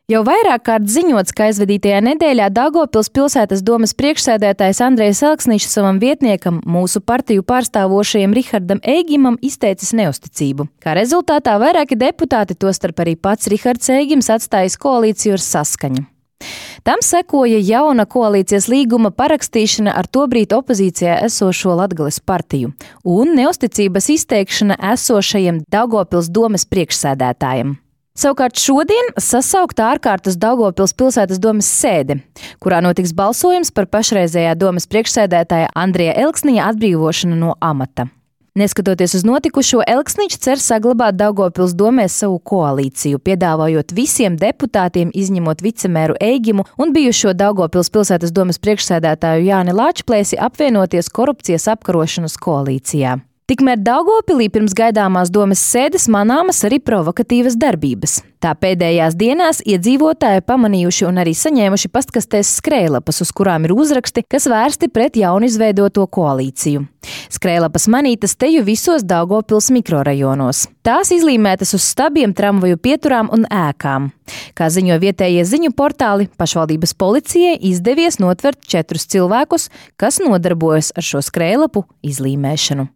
Jau vairāk kārt ziņots, ka aizvadītajā nedēļā Daugavpils pilsētas domes priekšsēdētājs Andrejs Elksniņš savam vietniekam, mūsu partiju pārstāvošajam Rihardam Eigimam, izteicis neusticību. Kā rezultātā vairāki deputāti, tostarp arī pats Rihards Eigims, atstājis koalīciju ar Saskaņu. Tam sekoja jauna koalīcijas līguma parakstīšana ar tobrīd opozīcijā esošo Latgales partiju un neusticības izteikšana esošajam Daugavpils domes priekšsēdētājam. Savukārt šodien sasaukta ārkārtas Daugavpils pilsētas domes sēde, kurā notiks balsojums par pašreizējā domes priekšsēdētāja Andreja Elksniņa atbrīvošanu no amata. Neskatoties uz notikušo, Elksniņš cer saglabāt Daugavpils domē savu koalīciju, piedāvājot visiem deputātiem, izņemot vicemēru Eigimu un bijušo Daugavpils pilsētas domes priekšsēdētāju Jāni Lāčplēsi, apvienoties korupcijas apkarošanas koalīcijā. Tikmēr Daugavpilī pirms gaidāmās domes sēdes manāmas arī provokatīvas darbības. Tā pēdējās dienās iedzīvotāji pamanījuši un arī saņēmuši pastkastēs skrējlapas, uz kurām ir uzraksti, kas vērsti pret jaunizveidoto koalīciju. Skrējlapas manītas teju visos Daugavpils mikrorajonos. Tās izlīmētas uz stabiem, tramvaju pieturām un ēkām. Kā ziņo vietējie ziņu portāli, pašvaldības policijai izdevies notvert 4 cilvēkus, kas nodarbojas ar šo skrējlapu izlīmēšanu.